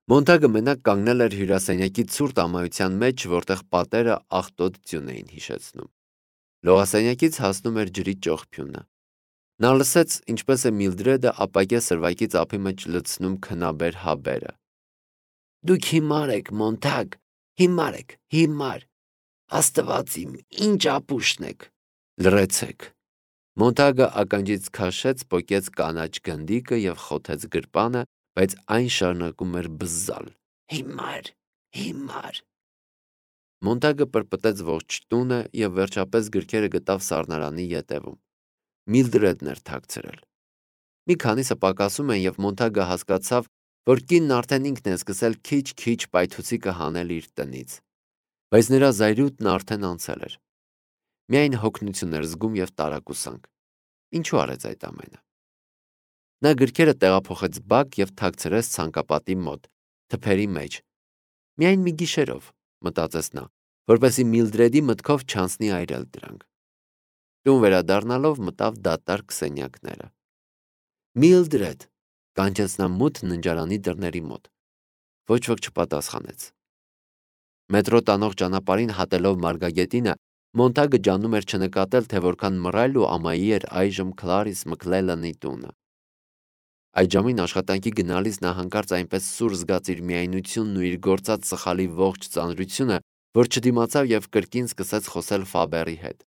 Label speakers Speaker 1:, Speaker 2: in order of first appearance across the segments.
Speaker 1: Մոնտագը մենակ կանգնել էր հյուրասենյակի ցուրտ ամայության մեջ, որտեղ պատերը աղտոտ ձյուն էին հիշեցնում։ Լողասենյակից հասնում էր ջրի ճողփյունը։ Նա լսեց, ինչպես է Միլդրեդը ապակյա սրվակից ափի մեջ լցնում քնաբեր հաբերը։ Դուք հիմար եք, Մոնտագ, հիմար եք, հիմար։ Աստված իմ, ինչ ապուշն եք։ Լռեցեք։ Մոնտագը ականջից քաշեց, պոկեց կանաչ գնդիկը և խոթեց գրպանը, բայց այն շարունակում էր բզզալ։ Հիմար, հիմար։ Մոնտագը պրպտեց ողջ տունը և վերջապես գրքերը գտավ սառնարանի ետևում։ Միլդրեդն էր թաքցրել։ Մի քանիսը պակասում են, և Մոնտագը հասկացավ, որ կինն արդեն ինքն է սկսել քիչ-քիչ պայթուցիկը հանել իր տնից։ Բայց նրա զայրույթն արդեն անցել էր։ Միայն հոգնություն էր զգում և տարակուսանք։ Ինչու արեց այդ ամենը։ Նա գրքերը տեղափոխեց բակ և թաքցրեց ցանկապատի մոտ, թփերի մեջ։ Միայն մի գիշերով, մտածեց նա, որպեսզի Միլդրեդի մտքով չանցնի այրել դրանք։ Տուն վերադառնալով մտավ դատարկ սենյակները։ Միլդրեդ, կանչեց նա մութ ննջարանի դռների մոտ։ Ոչ ոք չպատասխանեց։ Մետրո տանող ճանապարհին հատելով Մարգագետինը, Մոնտագը ջանում էր չնկատել, թե որքան մռայլ ու ամայի էր այժմ Քլարիս Մքլելանի տունը։ Այդ ժամին աշխատանքի գնալիս նա հանկարծ այնպես սուր զգաց իր միայնությունն ու իր գործած սխալի ողջ ծանրությունը, որ չդիմացավ և կրկին սկսեց խոսել Ֆաբերի հետ։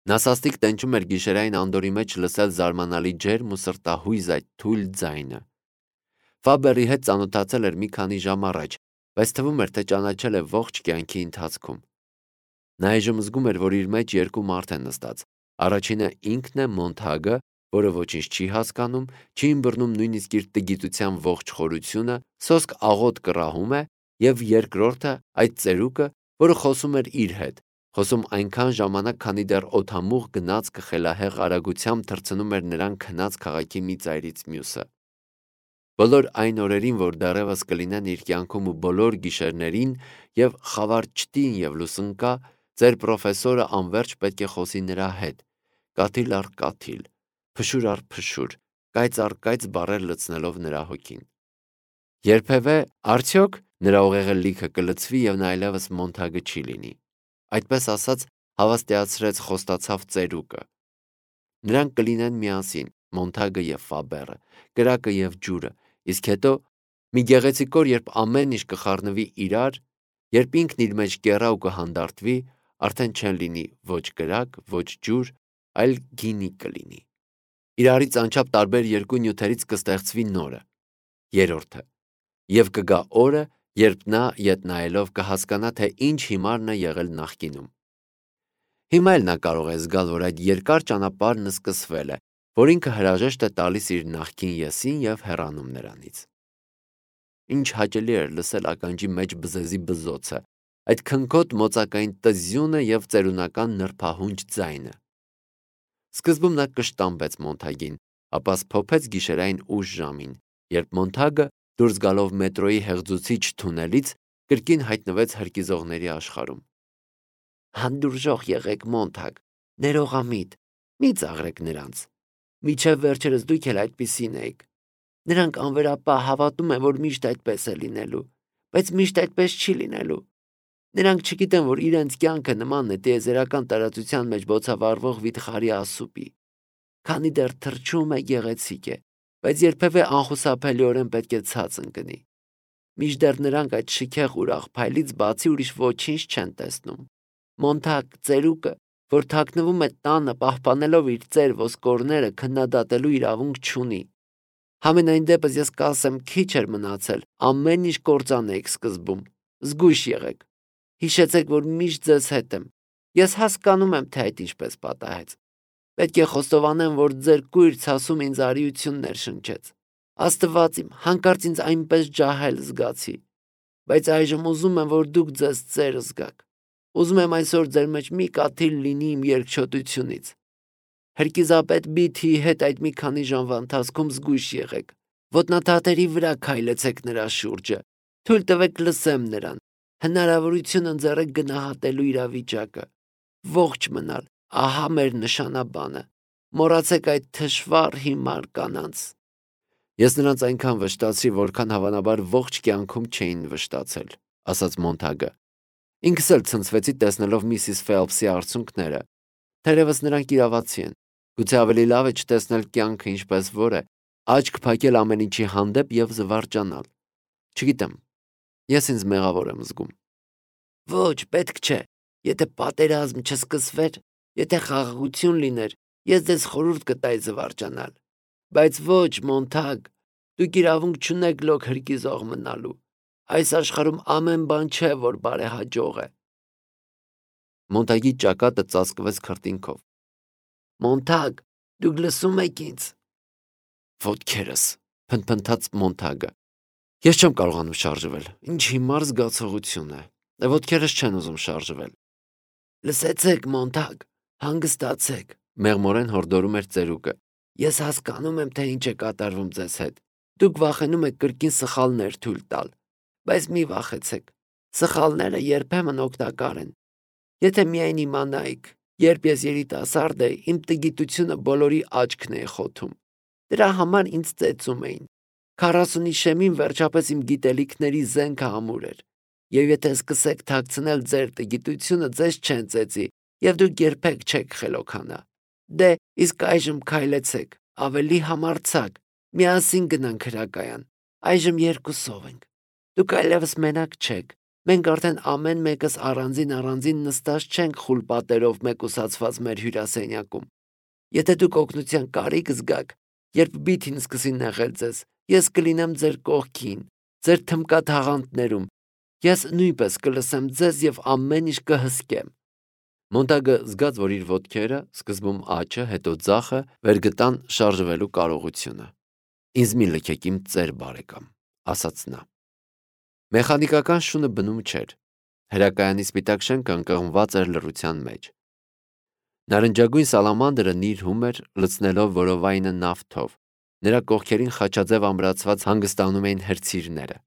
Speaker 1: Նա սաստիկ տենչում էր գիշերային անդորի մեջ լսել զարմանալի ջերմ ու սրտահույզ այդ թույլ ձայնը։ Ֆաբերի հետ ծանոթացել էր մի քանի ժամ առաջ, բայց թվում էր, թե ճանաչել է ողջ կյանքի ընթացքում։ Նա այժմ զգում էր, որ իր մեջ երկու մարդ է նստած։ Առաջինը ինքն է Մոնտագը, որը ոչինչ չի հասկանում, չի ըմբռնում նույնիսկ իր տգիտության ողջ խորությունը, սոսկ աղոտ կռահում է, և երկրորդը այդ ծերուկը, որը խոսում էր իր հետ, խոսում այնքան ժամանակ, քանի դեռ օդամուղ գնացքը խելահեղ արագությամբ թռցնում էր նրան քնած քաղաքի մի ծայրից մյուսը։ Բոլոր այն օրերին, որ դեռևս կլինեն իր կյանքում ու բոլոր գիշերներին, և խավար չտին և լուսնկա, ձեր պրոֆեսորը անվերջ պետք է խոսի նրա հետ, կաթիլ առ կաթիլ, փշուր առ փշուր, կայծ առ կայծ բառեր լցնելով նրա հոգին։ Երբևէ, արդյոք, նրա ուղեղը լիքը կլցվի և նա այլևս Մոնտագը չի լինի։ Այդպես ասած, հավաստիացրեց խոստացավ ծերուկը։ Նրանք կլինեն միասին, Մոնտագը և Ֆաբերը, կրակը և ջուրը, իսկ հետո մի գեղեցիկ օր, երբ ամեն ինչ կխառնվի իրար, երբ ինքն իր մեջ կեռա ու կհանդարտվի, արդեն չեն լինի ոչ կրակ, ոչ ջուր, այլ գինի կլինի։ Իրարից անչափ տարբեր երկու նյութերից կստեղծվի նորը, երրորդը, և կգա օրը, երբ նա ետ նայելով կհասկանա, թե ինչ հիմարն է եղել նախկինում։ Հիմա էլ նա կարող է զգալ, որ այդ երկար ճանապարհն սկսվել է, որ ինքը հրաժեշտ է տալիս իր նախկին եսին և հեռանում նրանից։ Ինչ հաճելի էր լսել ականջի մեջ բզեզի բզոցը, այդ քնքոտ մոծակային տզյունը և ծերունական նրբահունչ ձայնը։ Սկզբում նա կշտամբեց Մոնտագին, ապա սփոփեց գիշերային ուշ ժամին, երբ Մոնտագը, դուրս գալով մետրոյի հեղձուցիչ թունելից, կրկին հայտնվեց հրկիզողների աշխարհում։ Հանդուրժող եղեք, Մոնտագ, ներողամիտ, մի ծաղրեք նրանց։ Մինչև վերջերս դուք էլ այդպիսին էիք։ Նրանք անվերապահ հավատում են, որ միշտ այդպես է լինելու, բայց միշտ այդպես չի լինելու։ Նրանք չգիտեն, որ իրենց կյանքը նման է տիեզերական տարածության մեջ բոցավառվող վիթխարի ասուպի։ Քանի դեռ թռչում է, գեղեցիկ է, բայց երբևէ անխուսափելիորեն պետք է ցած ընկնի։ Մինչդեռ նրանք այդ շքեղ ուրախ փայլից բացի ուրիշ ոչինչ չեն տեսնում։ Մոնտագ, ծերուկը, որ թաքնվում է տանը, պահպանելով իր ծեր ոսկորները, քննադատելու իրավունք չունի։ Համենայն դեպս ես կասեմ, քիչ էր մնացել, ամեն ինչ կործանեիք սկզբում։ Զգույշ եղեք։ Հիշեցեք, որ միշտ ձեզ հետ եմ։ Ես հասկանում եմ, թե այդ ինչպես պատահեց։ Պետք է խոստովանեմ, որ ձեր կույր ցասում ինձ արիություններ շնչեց։ Աստված իմ, հանկարծ ինձ այնպես ջահել զգացի։ Բայց այժմ ուզում եմ, որ դուք ձեզ ծեր զգաք։ Ուզում եմ այսօր ձեր մեջ մի կաթիլ լինի իմ երկչոտությունից։ Հրկիզապետ Բիթիի հետ այդ մի քանի ժամվա ընթացքում զգույշ եղեք։ Ոտնաթաթերի վրա քայլեցեք նրա շուրջը։ Թույլ տվեք լսեմ նրան։ Հնարավորություն ընձեռեք գնահատելու իրավիճակը։ Ողջ մնալ, ահա մեր նշանաբանը։ Մոռացեք այդ թշվառ հիմար կանանց։ Ես նրանց այնքան վշտացրի, որքան հավանաբար ողջ կյանքում չէին վշտացել, ասաց Մոնթագը։ Ինքս էլ ցնցվեցի տեսնելով միսիս Ֆելփսի արցունքները։ Թերևս նրանք իրավացի են։ Գուցե ավելի լավ է չտեսնել կյանքը ինչպես որ է, աչք փակել ամեն ինչի հանդեպ եւ զվարճանալ։ Չգիտեմ, ես ինձ մեղավոր եմ զգում։ Ոչ, պետք չէ։ Եթե պատերազմ չսկսվեր, եթե խաղաղություն լիներ, ես ձեզ խորհուրդ կտայի զվարճանալ։ Բայց ոչ, Մոնթագ, դուք իրավունք չունեք լոկ հրկիզող մնալու։ Այս աշխարհում ամեն բան չէ, որ բարեհաջող է։ Մոնթագի ճակատը ծածկվեց քրտինքով։ Մոնթագ, դուք լսում եք ինձ։ Ոտքերս, փնթփնթաց Մոնթագը։ Ես չեմ կարողանում շարժվել։ Ինչ հիմար զգացողություն է։ Ոտքերս չեն ուզում շարժվել։ Լսեցեք, Մոնթագ, հանգստացեք, մեղմորեն հորդորում էր ծերուկը։ Ես հասկանում եմ, թե ինչ է կատարվում ձեզ հետ։ Դուք վախենում եք կրկին սխալներ թույլ տալ, բայց մի վախեցեք։ Սխալները երբեմն օգտակար են։ Եթե միայն իմանայիք, երբ ես երիտասարդ էի, իմ տգիտությունը բոլորի աչքն է խոթում։ Դրա համար ինձ ծեծում էին։ 40-ի շեմին վերջապես իմ գիտելիքների զենքը ամուր էր։ Եվ եթե սկսեք թաքցնել ձեր տգիտությունը, ձեզ չեն ծեծի, եւ դուք երբեք չեք խելոքանա։ Դե, իսկ այժմ քայլեցեք, ավելի համարձակ, միասին գնանք հրակայան։ Այժմ երկուսով ենք։ Դուք այլևս մենակ չեք։ Մենք արդեն ամեն մեկս առանձին նստած չենք խուլ պատերով մեկուսացված մեր հյուրասենյակում։ Եթե դուք օգնության կարիք զգաք, երբ Բիթին սկսի նեղել ձեզ, ես կլինեմ ձեր կողքին, ձեր թմկաթաղանթներում։ Ես նույնպես կլսեմ ձեզ եւ ամեն ինչ կհսկեմ։ Մոնտագը զգաց, որ իր ոտքերը, սկզբում աչը, հետո ձախը, վերգտան շարժվելու կարողությունը։ Ինձ մի լքեք իմ ծեր բարեկամ, ասաց նա։ Մեխանիկական շունը բնում չէր։ Հրակայանի սպիտակ շենքը ընկղմված էր լռության մեջ։ Նարնջագույն սալամանդրը նիրհում էր, լցնելով որովայնը նավթով։ Նրա կողքերին խաչաձև ամրացված հանգստանում էին հրցիրները։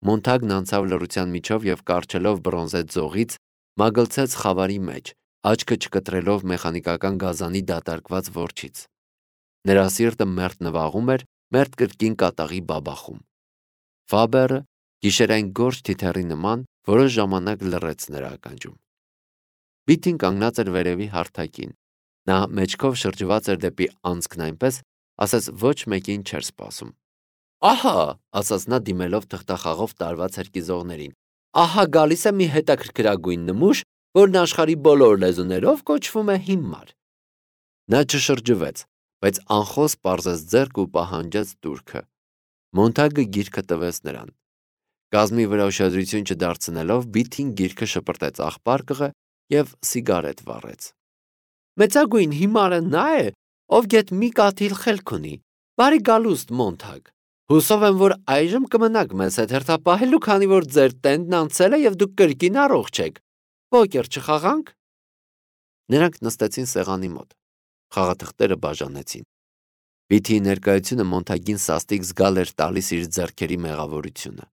Speaker 1: Մոնթագն անցավ լռության միջով եւ կարճելով բրոնզե ձողից մագլցեց խավարի մեջ, աչքը չկտրելով մեխանիկական գազանի դատարկված որջից։ Նրա սիրտը մերթ նվաղում էր, մերթ կրկին կատաղի բաբախում։ Ֆաբերը գիշերային գորշ թիթեռի նման որոշ ժամանակ լռեց նրա ականջում։ Բիթին կանգնած էր վերևի հարթակին։ Նա մեջքով շրջված էր դեպի անցքն այնպես, ասես ոչ մեկին չէր սպասում։ Ահա, ասաց նա դիմելով թղթախաղով տարված հրկիզողներին։ Ահա գալիս է մի հետաքրքրագույն նմուշ, որն աշխարհի բոլոր լեզուներով կոչվում է հիմար։ Նա չշրջվեց, բայց անխոս պարզեց ձեռք ու պահանջեց տուրքը։ Մոնթագը գիրքը տվեց նրան։ Կազմի վրա ուշադրություն չդարձնելով Բիթին գիրքը շպրտեց աղբարկղը եւ սիգարետ վառեց։ Մեծագույն հիմարը նա է, ով գետ մի կաթիլ խելք ունի։ Բարի գալուստ, Մոնթագ։ Հուսով եմ, որ այժմ կմնաք մեզ հետ հերթապահելու, քանի որ ձեր տենդն անցել է եւ դուք կրկին առողջ եք։ Պոկեր չխաղանք։ Նրանք նստեցին սեղանի մոտ։ Խաղաթղթերը բաժանեցին։ Բիթի ներկայությունը Մոնթագին սաստիկ զգալ էր տալիս իր ձեռքերի մեղավորությունը։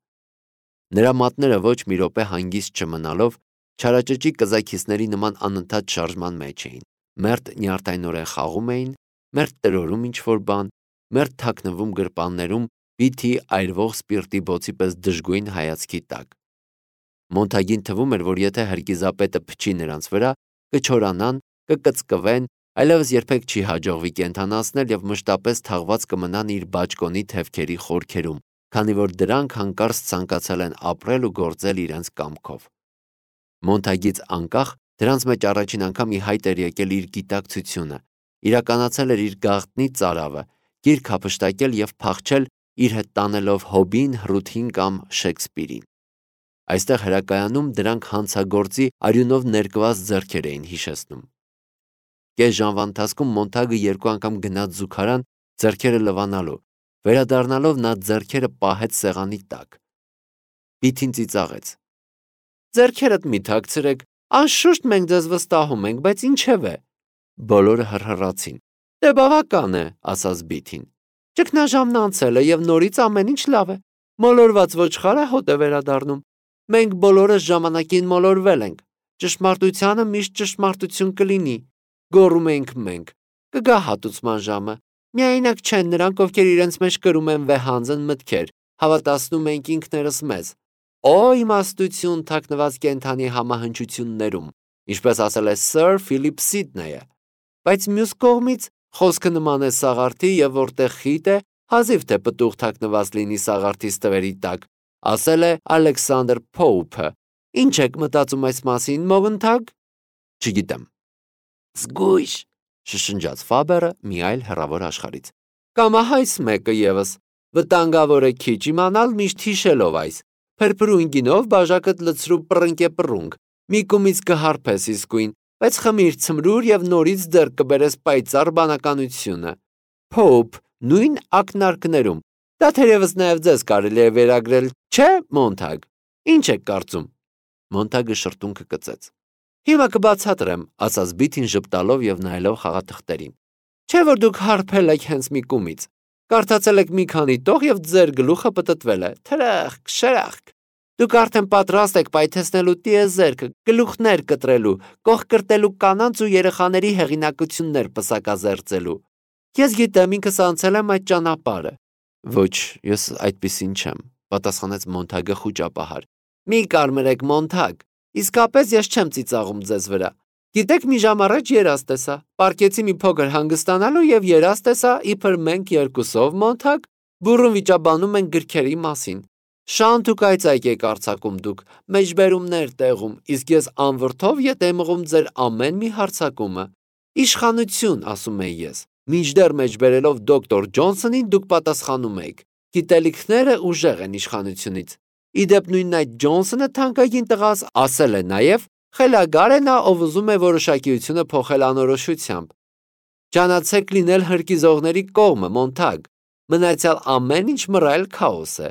Speaker 1: Նրա մատները ոչ մի րոպե հանգիստ չմնալով չարաճճի կզաքիսների նման անընդհատ շարժման մեջ էին։ Մերթ նյարդայնորեն խաղում էին, մերթ տրորում ինչ-որ բան, մերթ թաքնվում գրպաններում Բիթի այրվող սպիրտի բոցի պես դժգույն հայացքի տակ։ Մոնթագին թվում էր, որ եթե հրկիզապետը փչի նրանց վրա, կչորանան, կկծկվեն, այլևս երբեք չի հաջողվի կենթանացնել եւ մշտապես թաղված կմնան իր բաճկոնի թևքերի խորքերում, քանի որ դրանք հանկարծ ցանկացել են ապրել ու գործել իրենց կամքով։ Մոնթագից անկախ դրանց մեջ առաջին անգամ ի հայտ էր եկել իր գիտակցությունը, իրականացել էր իր գաղտնի ծարավը, գիրք հափշտակել եւ փախչել իր հետ տանելով Հոբին, Հռութին կամ Շեքսպիրին։ Այստեղ հրակայանում դրանք հանցագործի արյունով ներկված ձեռքեր էին հիշեցնում։ Կես ժամվա ընթացքում Մոնթագը 2 անգամ գնաց զուգարան ձեռքերը լվանալու, վերադառնալով նա ձեռքերը պահեց սեղանի տակ։ Բիթին ծիծաղեց։ Ձեռքերդ մի թաքցրեք, անշուշտ մենք ձեզ վստահում ենք, բայց ինչևէ։ Բոլորը հռհռացին։ Դե բավական է, ասաց Բիթին։ Ճգնաժամն անցել է եւ նորից ամեն ինչ լավ է։ Մոլորված ոչխարը հոտ է վերադառնում։ Մենք բոլորս ժամանակին մոլորվել ենք։ Ճշմարտությանը միշտ ճշմարտություն կլինի, գոռում ենք մենք։ Կգա հատուցման ժամը։ Միայնակ չեն նրանք, ովքեր իրենց մեջ կրում են վեհանձն մտքեր, հավատացնում ենք ինքներս մեզ։ Օ իմաստություն թաքնված կենդանի համահնչություններում, ինչպես ասել է Սըր Ֆիլիպ Սիդնեյը։ Բայց մյուս կողմից խոսքը նման է սաղարթի, եւ որտեղ խիտ է, հազիվ թե պտուղ թաքնված լինի սաղարթի ստվերի տակ, ասել է Ալեքսանդր Փոուփը։ Ինչ եք մտածում այս մասին, մողնթագ։ Չգիտեմ։ Զգույշ, շշնջաց Ֆաբերը մի այլ հեռավոր աշխարից։ Կամահայս մեկը եւս։ Վտանգավոր է քիչ իմանալ միշտ հիշելով այս։ Փրփրուն գինով բաժակդ լցրու պռնկե-պռունգ։ Մի կումից կհարփես իսկույն, բայց խմիր ցմրուր եւ նորից ձեռք կբերես պայծառ բանականությունը։ Փոուփ, նույն ակնարկներում։ Դա թերևս նաեւ ձեզ կարելի է վերագրել, չէ, Մոնթագ։ Ինչ եք կարծում։ Մոնթագը շրթունքը կծեց։ Հիմա կբացատրեմ, ասաց Բիթին ժպտալով եւ նայելով խաղաթղթերին։ Չէ՞ որ դուք հարբել եք հենց մի կումից։ Կարդացել եք մի քանի տող եւ ձեր գլուխը պտտվել է։ Թրախկ, շրախկ։ Դուք արդեն պատրաստ եք պայթեցնելու տիեզերքը, գլուխներ կտրելու, կողկրտելու կանանց ու երեխաների հեղինակություններ պսակազերծելու։ Ես գիտեմ, ինքս անցել եմ այդ ճանապարհը։ Ոչ, ես այդպիսին չեմ, պատասխանեց Մոնթագը խուճապահար։ Մի կարմրեք, Մոնթագ, իսկապես ես չեմ ծիծաղում ձեզ վրա։ Գիտեք, մի ժամ առաջ երազ տեսա, պարկեցի մի փոքր հանգստանալու եւ երազ տեսա, իբր մենք երկուսով, Մոնթագ, բուրըն վիճաբանում ենք գրքերի մասին։ Շանթ ու կայծայք եք արձակում դուք, մեջբերումներ տեղում, իսկ ես անվրդով ետ եմ մղում ձեր ամեն մի հարձակումը։ Իշխանություն, ասում եի ես։ Մինչդեռ մեջբերելով դոկտոր Ջոնսոնին դուք պատասխանում եք։ Գիտելիքները ուժեղ են իշխանությունից։ Իդեպ նույն այդ Ջոնսոնը թանկագին տղաս ասել է նաև, խելագար է նա, ով ուզում է որոշակիությունը փոխել անորոշությամբ։ Ճանաչեք լինել հրկիզողների կողմը, Մոնթագ։ Մնացյալ ամեն ինչ մռայլ քաոս է։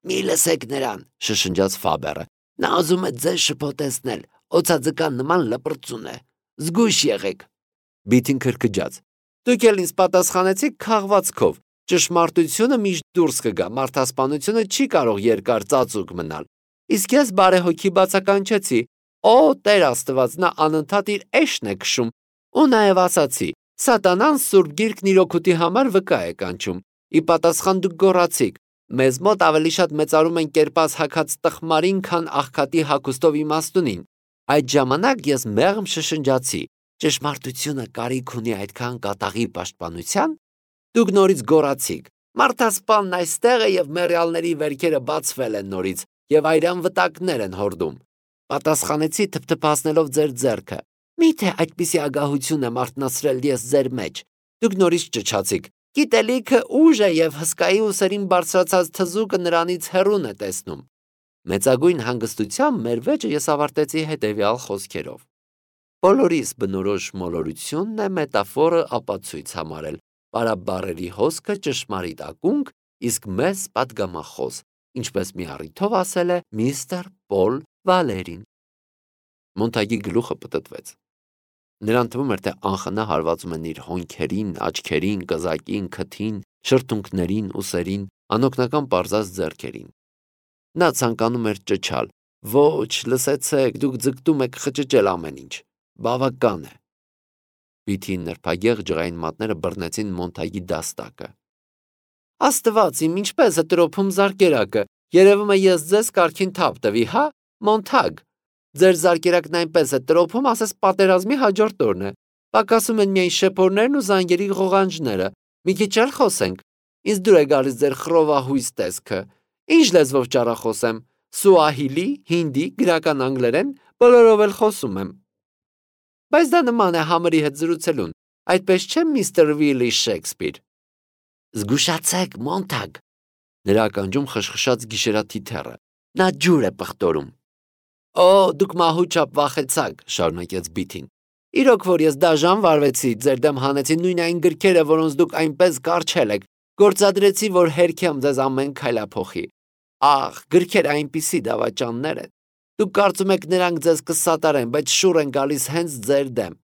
Speaker 1: Մի լսեք նրան, շշնջաց Ֆաբերը։ Նա ուզում է ձեզ շփոթեցնել, օծածկան նման լպրծուն է։ Զգույշ եղեք։ Բիթին քրքջաց։ Դուք էլ ինձ պատասխանեցիք քաղվածքով։ Ճշմարտությունը միշտ դուրս կգա, մարդասպանությունը չի կարող երկար ծածուկ մնալ։ Իսկ ես բարեհոգի բացականչեցի։ Օ, Տեր Աստված, նա անընդհատ իր էշն է քշում։ Ու նաև ասացի. Սատանան Սուրբ Գիրքն իր օգուտի համար վկա է կանչում։ Ի պատասխան դուք գոռացիք. մեզ մոտ ավելի շատ մեծարում են կերպած հագած տխմարին, քան աղքատի հագուստով իմաստունին։ Այդ ժամանակ ես մեղմ շշնջացի. ճշմարտությունը կարիք ունի այդքան կատաղի պաշտպանության։ Դուք նորից գոռացիք. մարդասպանն այստեղ է եւ մեռյալների վերքերը բացվել են նորից եւ այրան վտակներ են հորդում։ Պատասխանեցի թփթփացնելով ձեր ձեռքը։ Միթե այդպիսի ագահություն եմ արթնացրել ես ձեր մեջ։ Դուք նորից ճչացիք. գիտելիքը ուժ է եւ հսկայի ուսերին բարձրացած թզուկը նրանից հեռուն է տեսնում։ Մեծագույն հանգստությամբ մեր վեճը ես ավարտեցի հետեւյալ խոսքերով. Բոլորիս բնորոշ մոլորությունն է մետաֆորը ապացույց համարել, պարաբառերի հոսքը ճշմարիտ ակունք, իսկ մեզ պատգամախոս, ինչպես մի առիթով ասել է միստր Պոլ Վալերին։ Մոնթագի գլուխը պտտվեց։ Նրան թվում էր, թե անխնա հարվածում են իր հոնքերին, աչքերին, կզակին, քթին, շրթունքներին, ուսերին, անօգնական պարզած ձեռքերին։ Նա ցանկանում էր ճչալ. Ոչ, լսեցեք, դուք ձգտում եք խճճել ամեն ինչ։ Բավական է։ Բիթի նրբագեղ ջղային մատները բռնեցին Մոնթագի դաստակը։ Աստված իմ, ինչպես է տրոփում զարկերակը։ Երևում է ես ձեզ կարգին թափ տվի, հա, Մոնթագ։ Ձեր զարկերակն այնպես է տրոփում, ասես պատերազմի հաջորդ օրն է։ Պակասում են միայն շեփորներն ու զանգերի ղողանջները։ Մի քիչ էլ խոսենք։ Ինձ դուր է գալիս ձեր խռովահույս տեսքը։ Ինչ լեզվով ճառախոսեմ։ Սուահիլի, հինդի, գրական անգլերեն, բոլորով էլ խոսում եմ։ Բայց դա նման է համրի հետ զրուցելուն։ Այդպես չէ, միստր Վիլի Շեքսպիր։ Զգուշացեք, Մոնթագ։ Նրա ականջում խշխշաց գիշերաթիթեռը։ Նա ջուր է պղտորում։ Օ, դուք մահուճապ վախեցաք, շարունակեց Բիթին։ Իրոք որ ես դաժան վարվեցի, ձեր դեմ հանեցի նույն այն գրքերը, որոնց դուք այնպես կարճել եք, գործադրեցի, որ հերքեմ ձեզ ամեն քայլափոխի։ Ահ, գրքերը այնպիսի դավաճաններ են։ Դուք կարծում եք նրանք ձեզ կսատարեն, բայց շուռ են գալիս հենց ձեր դեմ։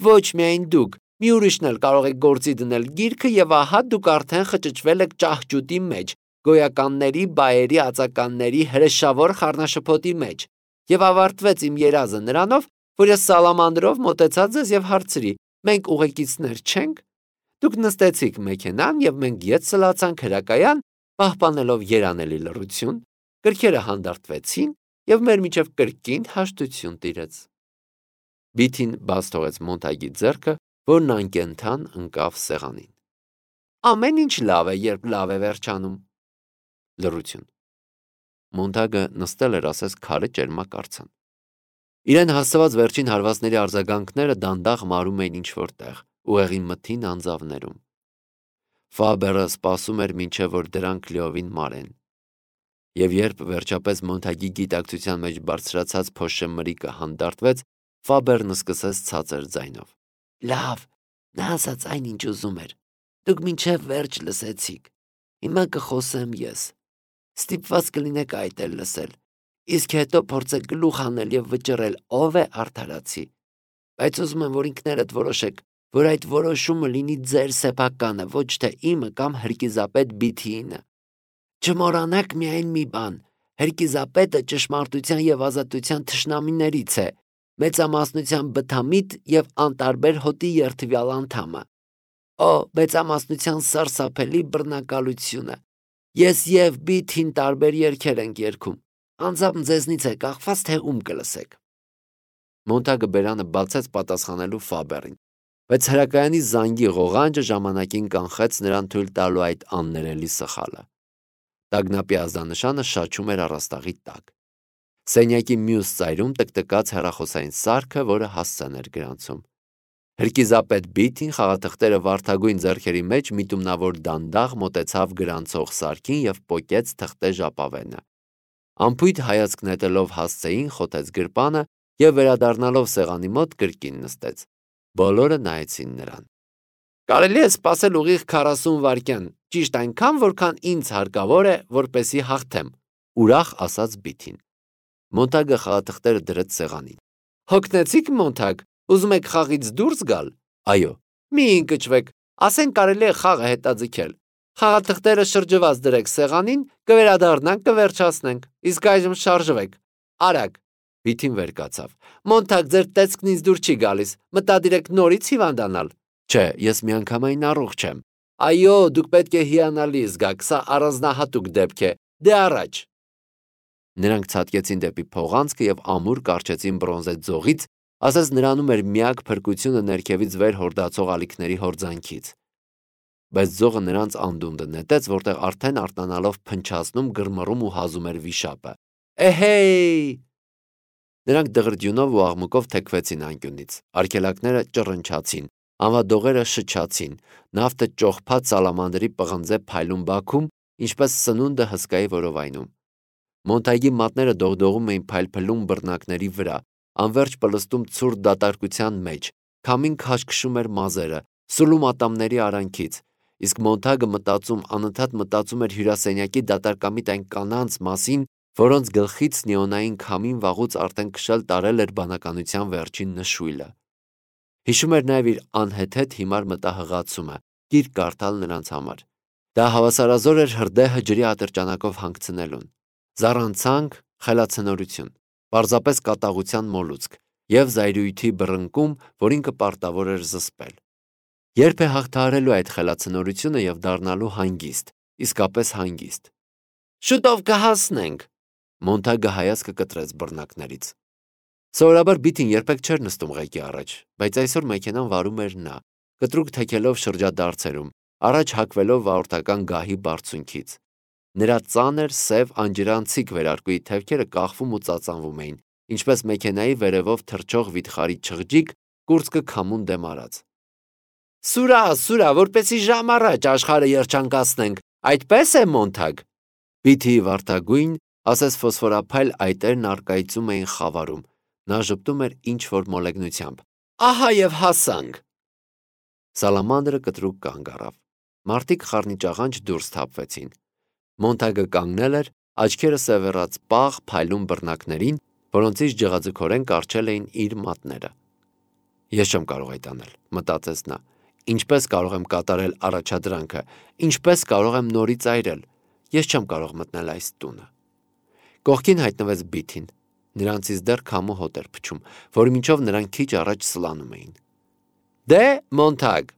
Speaker 1: Ոչ միայն դուք, մի ուրիշն էլ կարող եք գործի դնել գիրքը եւ ահա դուք արդեն խճճվել եք ճահճուտի մեջ, գոյականների, բայերի, ածականների հրեշավոր խառնաշփոթի մեջ։ Եվ ավարտվեց իմ երազը նրանով, որ ես սալամանդրով մոտեցա ձեզ եւ հարցրի. մենք ուղեկիցներ չենք։ Դուք նստեցիք մեքենան և մենք ետ սլացանք հրակայան, պահպանելով երանելի լռություն, գրքերը հանդարտվեցին և մեր միջև կրկին հաշտություն տիրեց։ Բիթին բաց թողեց Մոնտագի ձեռքը, որն անկենդան ընկավ սեղանին։ Ամեն ինչ լավ է, երբ լավ է վերջանում։ Լռություն։ Մոնտագը նստել էր ասես քարե ճերմակ արձան։ Իրեն հասցված վերջին հարվածների արձագանքները դանդաղ մարում էին ինչ-որ տեղ, ուղեղի մթին անձավներում։ Ֆաբերը սպասում էր մինչև որ դրանք լիովին մարեն։ Եվ երբ վերջապես Մոնտագի գիտակցության մեջ բարձրացած փոշե մրիկը հանդարտվեց, Ֆաբերն սկսեց ցածր ձայնով. Լավ, նա ասաց այն, ինչ ուզում էր։ Դուք մինչև վերջ լսեցիք։ Հիմա կխոսեմ ես։ Ստիպված կլինեք այդ էլ լսել, իսկ հետո փորձեք գլուխ անել և վճռել ով է արդարացի։ Բայց ուզում եմ, որ ինքներդ որոշեք, որ այդ որոշումը լինի ձեր սեփականը, ոչ թե իմը կամ հրկիզապետ Բիթիինը։ Չմոռանաք միայն մի բան. հրկիզապետը ճշմարտության և ազատության թշնամիներից է, մեծամասնության բթամիտ և անտարբեր հոտի երդվյալ անդամը։ Օ, մեծամասնության սարսափելի բռնակալությունը։ Ես և Բիթին տարբեր երգեր ենք երգում։ Անձամբ ձեզնից է կախված, թե ում կլսեք։ Մոնտագը բերանը բացեց պատասխանելու Ֆաբերին, բայց հրակայանի զանգի ղողանջը ժամանակին կանխեց նրան թույլ տալու այդ աններելի սխալը։ Տագնապի ազդանշանը շաչում էր առաստաղի տակ։ Սենյակի մյուս ծայրում տկտկաց հեռախոսային սարքը, որը հասցեն էր գրանցում։ Հրկիզապետ Բիթին խաղաթղթերը վարդագույն ձեռքերի մեջ միտումնավոր դանդաղ մոտեցավ գրանցող սարքին և պոկեց թղթե ժապավենը։ Անփույթ հայացք նետելով հասցեին խոթեց գրպանը և վերադառնալով սեղանի մոտ կրկին նստեց։ Բոլորը նայեցին նրան։ Կարելի է սպասել ուղիղ 40 վայրկյան, ճիշտ այնքան, որքան ինձ հարկավոր է, որպեսզի հաղթեմ, ուրախ ասաց Բիթին։ Մոնտագը խաղաթղթերը դրեց սեղանին։ Հոգնեցիք, Մոնտագ, ուզում եք խաղից դուրս գալ։ Այո։ Մի ընկճվեք, ասենք կարելի է խաղը հետաձգել։ Խաղաթղթերը շրջված դրեք սեղանին, կվերադառնանք, կվերջացնենք, իսկ այժմ շարժվեք։ Արագ։ Բիթին վեր կացավ։ Մոնտագ, ձեր տեսքն ինձ դուր չի գալիս, մտադիր եք նորից հիվանդանալ։ Չէ, ես միանգամայն առողջ եմ։ Այո, դուք պետք է հիանալի զգաք, սա առանձնահատուկ դեպք է։ Դե առաջ։ Նրանք ցատկեցին դեպի փողանցքը և ամուր կառչեցին բրոնզե ձողից, ասես նրանում էր միակ փրկությունը ներքևից վեր հորդացող ալիքների հորձանքից։ Բայց ձողը նրանց անդունդը նետեց, որտեղ արդեն արտանալով փնչացնում, գրմռում ու հազում էր վիշապը։ Էհեյ։ Նրանք դղրդյունով ու աղմուկով թեքվեցին անկյունից, արգելակները ճռնչացին, անվադողերը շչացին, նավթը ճոխփած սալամանդրի պղնձե փայլուն բաքում, ինչպես սնունդը հսկայի որովայնում։ Մոնտագի մատները դողդողում էին փայլփլուն բռնակների վրա, անվերջ պլստում ցուրտ դատարկության մեջ, քամին քաշքշում էր մազերը, սուլում ատամների արանքից, իսկ Մոնտագը անընդհատ մտածում էր հյուրասենյակի դատարկամիտ այն կանանց մասին, որոնց գլխից նեոնային քամին վաղուց արդեն քշել տարել էր բանականության վերջին նշույլը։ Հիշում էր նաև իր անհեթեթ հիմար մտահղացումը, գիրք կարդալ նրանց համար։ Դա հավասարազոր էր հրդեհը ջրի ատրճանակով հանգցնելուն։ Զառանցանք, խելացնորություն, պարզապես կատաղության մոլուցք և զայրույթի բռնկում, որին կպարտավոր էր զսպել։ Երբ է հաղթահարելու այդ խելացնորությունը և դառնալու հանգիստ, իսկապես հանգիստ։ Շուտով կհասնենք։ Մոնտագը հայացքը կտրեց բռնակներից։ Սովորաբար Բիթին երբեք չէր նստում ղեկի առաջ, բայց այսօր մեքենան վարում էր նա, կտրուկ թեքելով շրջադարձերում, առաջ հակվելով վարորդական գահի բարձունքից։ Նրա ծանր, սև, անջրանցիկ վերարկուի թևքերը կախվում ու ծածանվում էին, ինչպես մեքենայի վերևով թռչող վիթխարի չղջիկ, կուրծքը քամուն դեմ արած։ Սուրա, սուրա, որպեսի ժամ առաջ աշխարհը երջանկացնենք, այդպես է, Մոնտագ։ Բիթիի վարդագույն, ասես ֆոսֆորափայլ այտերն առկայծում էին խավարում։ Նա ժպտում էր ինչ-որ մոլեգնությամբ։ Ահա և հասանք։ Սալամանդրը կտրուկ կանգ առավ։ Մարդիկ խառնիճաղանճ դուրս թափվեցին։ Մոնտագը կանգնել էր, աչքերը սևեռած պաղ, փայլուն բռնակներին, որոնցից ջղաձգորեն կառչել էին իր մատները։ Ես չեմ կարող այդ անել, մտածեց նա։ Ինչպես կարող եմ կատարել առաջադրանքը, ինչպես կարող եմ նորից այրել։ Ես չեմ կարող մտնել այս տունը։ Կողքին հայտնվեց Բիթին։ Նրանցից դեռ քամու հոտ էր փչում, որի միջով նրանք քիչ առաջ սլանում էին։ Դե, Մոնտագ։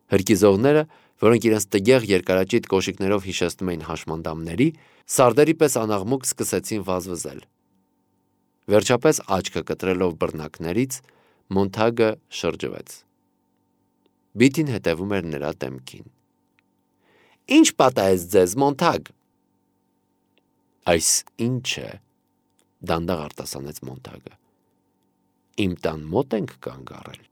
Speaker 1: Հրկիզողները, որոնք իրենց տգեղ երկարաճիտ կոշիկներով հիշեցնում էին հաշմանդամների, սարդերի պես անաղմուկ սկսեցին վազվզել։ Վերջապես աչքը կտրելով բռնակներից, Մոնթագը շրջվեց։ Բիթին հետևում էր նրա դեմքին։ «Ինչ պատահեց ձեզ, Մոնթագ»։ «Այս ի՞նչ է», դանդաղ արտասանեց Մոնթագը։ «Իմ տան մոտ ենք կանգ առել»։